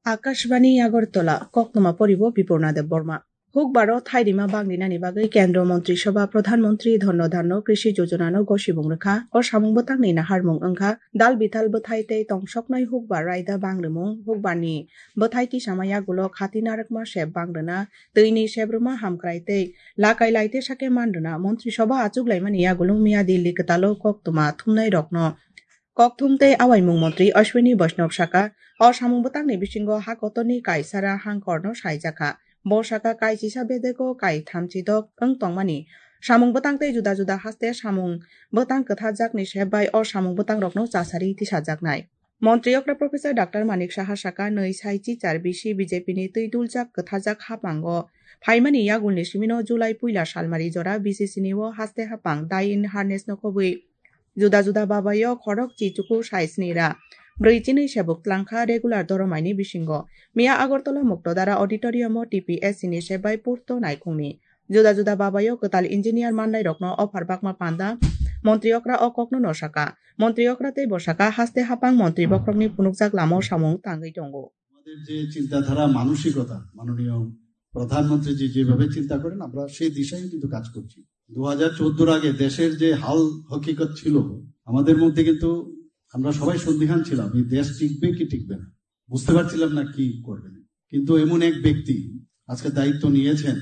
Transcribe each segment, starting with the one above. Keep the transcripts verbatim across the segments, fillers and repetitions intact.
Akashbani Agartala, koktwma poribo Bipurna Debbarma. Hukbaro thairima bangrinani bagwi Kendro Montri Sabha Pradhan Montri Dhanno Dhanno Krishi Yojana no gosibung rwkha. O samung bwtangni naharmung wngkha dal bithal bwthai tei tongsoknai hukbar raida bangrwmung, hukbarni bwthai tisama yagulo khati narwkma sep bangrwna, twini sebrwma hamkrai tei lakai lai tesa khe manrwna. Montri Sabha achuk laimani yagulung miya Delhi kwtalo koktwma thumnai rokno kokthum tei awaimung montri Ashwini Vaishnaw saka, o samung bwtangni bisingo ha kotorni kaisara hangkorno saijakha. Bo saka kaisisa bedego kai thamchi dok wng tongmani samung bwtang tei juda juda haste samung bwtang kwtharjakni sep bai o samung bwtangrokno chasari tisajaknai. Montri okra Professor Doctor Manik Saha saka, nwi sai chichar bisi B J P ni twi duljak kwtharjak haphango phaimani yagulni simino July puila salmari jora B C C ni o haste haphang dai in harness no khobwi juda juda babayo khorok chi chuku sai sni ra brwi chinwi sebuk tlangkha regular doromaini bisingo. Miya Agartala Muktodara Auditorium o T P S C ni sep bai purto naikhungni juda juda babayo kwtal engineer manlairokno offer bakma panda montri okra o kokno no saka. Montri okra tei bo saka haste haphang montri bokhorokni phunukjak lama o samung tangwi tongo. আমাদের যে চিন্তাধারা, মানসিকতা, মাননীয় প্রধানমন্ত্রীজি যেভাবে চিন্তা করেন, আমরা সেই দিশায় কিন্তু কাজ করছি। দু হাজার চোদ্দর আগে দেশের যে হাল হকিকত ছিল, আমাদের মধ্যে কিন্তু আমরা সবাই সন্দিহান ছিলাম, এই দেশ টিকবে কি টিকবে না, বুঝতে পারছিলাম না কি করবেন। কিন্তু এমন এক ব্যক্তি আজকে দায়িত্ব নিয়েছেন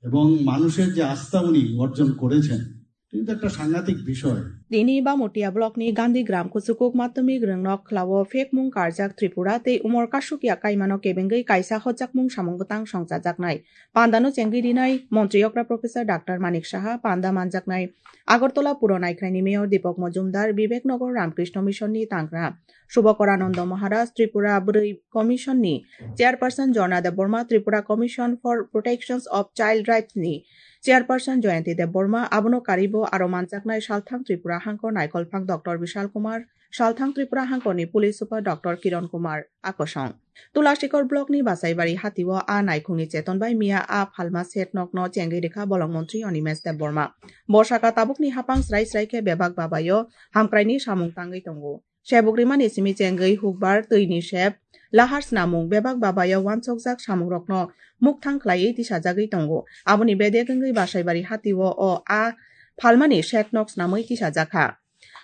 এবং মানুষের যে আস্থা উনি অর্জন করেছেন, এটা কিন্তু একটা সাংঘাতিক বিষয়। Tini Bamutia block ni Gandhi Gram Kuchukuk Madhyamik Rwngnok Khlao Phekmung Karjak Tripura tei Umor Kasukya Kaimano kebengwi kaisa hojakmung samung bwtang songchajaknai. Pandano chengwi rinai Montri okra Professor Doctor Manik Saha, panda manjaknai Agartala Puro Naikhraini Mayor Deepak Majumdar, Bibek Nagar Ramkrishna Mission ni tangra Subhankar Ananda Maharaj, Tripura Bwrwi Commission ni Chairperson Jorna Debbarma, Tripura Commission for Protections of Child Rights ni Chairperson Jayanti Debbarma, abono karibo aro manjaknai Salthang Tripura Hangkor Naikolphang Doctor Bishal Kumar, Salthang Tripura Hangkorni Police Super Doctor Kiran Kumar Akosong. Tulashikhor block ni Basaibari hatio a naikhungni cheton bai miya a phalma set nokno chengwi rikha bolong montri Animesh Debbarma. Bo saka tabukni haphang srai srai khe bebak babayo hamkraini samung tangwi tongo. Sebuk rimani simi chengwi hukbar twini sep lahar snamung bebak babayo wansokjak samungrokno mukthang khlaiwi tisajagwi tongo. Aboni bedek wngwi Basaibari hatio o a phalmani set nok snamwi tisajakha.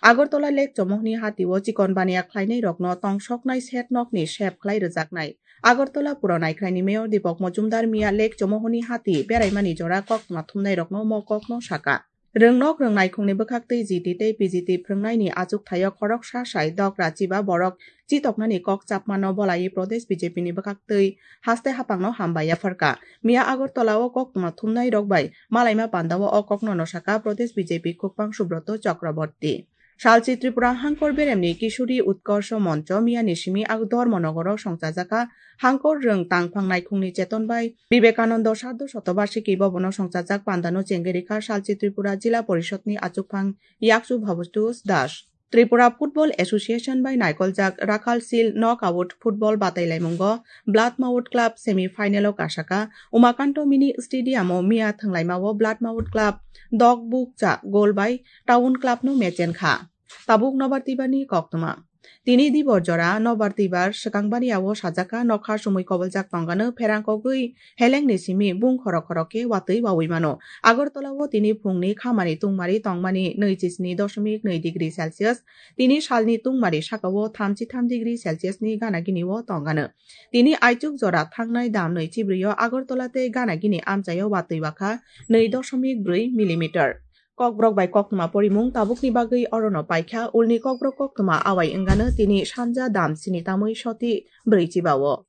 Agartala Lake Chomohni hatio chikon baniya khlainairokno tongsoknai set nokni sep khlai rwjaknai. Agartala Puro Naikhraini Mayor Deepak Majumdar miya Lake Chomohni hati beraimani jora koktwma thumnairokno mo kokno saka. Rwngnok rwngnaikhungni bwkhaktwi G T tei P G T phrwngnaini achukthai-o khoroksa sai dok rachiba borok chitoknani kok chapmano bolai Pradesh B J P ni bwkhaktwi haste haphangno hambai yapharkha. Miya Agartala-o koktwma thumnairok bai malaima pandao o kokno no saka Pradesh B J P khukphang Subroto Chakraborty. Salchi Tripura Hangkor Beremni Kishori Utkarsho Moncho miyani simi ag Dharmanagaro songchajakha Hangkor rwng tangphang naikhungni cheton bai Vivekananda Sardo Shatobarshiki Bhabono songchajak pandano chengwi rikha Salchi Tripura Jila Porishod ni achukphang Yakchu Bhabatosh Das. Tripura Football Association bai naikoljak Rakhal Seal Knockout Football batailaimungo Blood Mount Club semi final o kasaka Umakanto Mini Stadium o miya thwnglaima o Blood Mount Club dok bukcha goal bai Town Club no mechenkha. Tabuk Nobar Tibani koktwma. Tini dibor jora Nobar Tibar swkang baniya o sajaka nokha sumui koboljak tongano pherang kogwi helengni simi bung khorok khorok khe watwi wawi mano. Agartala o tini phungni khamani tungmari tongmani nwi chisni dosmik nwi degree Celsius, tini salni tungmari saka o thamchi tham degree Celsius ni gana gini o tongano. Tini aichuk jora thangnai dam nwi chibri o Agartala tei gana gini amchai o watwi wakha nwi dosmik brwi millimeter. Kokborok bai koktwma porimung tabukni bagwi orono paikha, ulni kokborok koktwma awai wngano tini sanja dam sini tamwi soti brwi chiba o.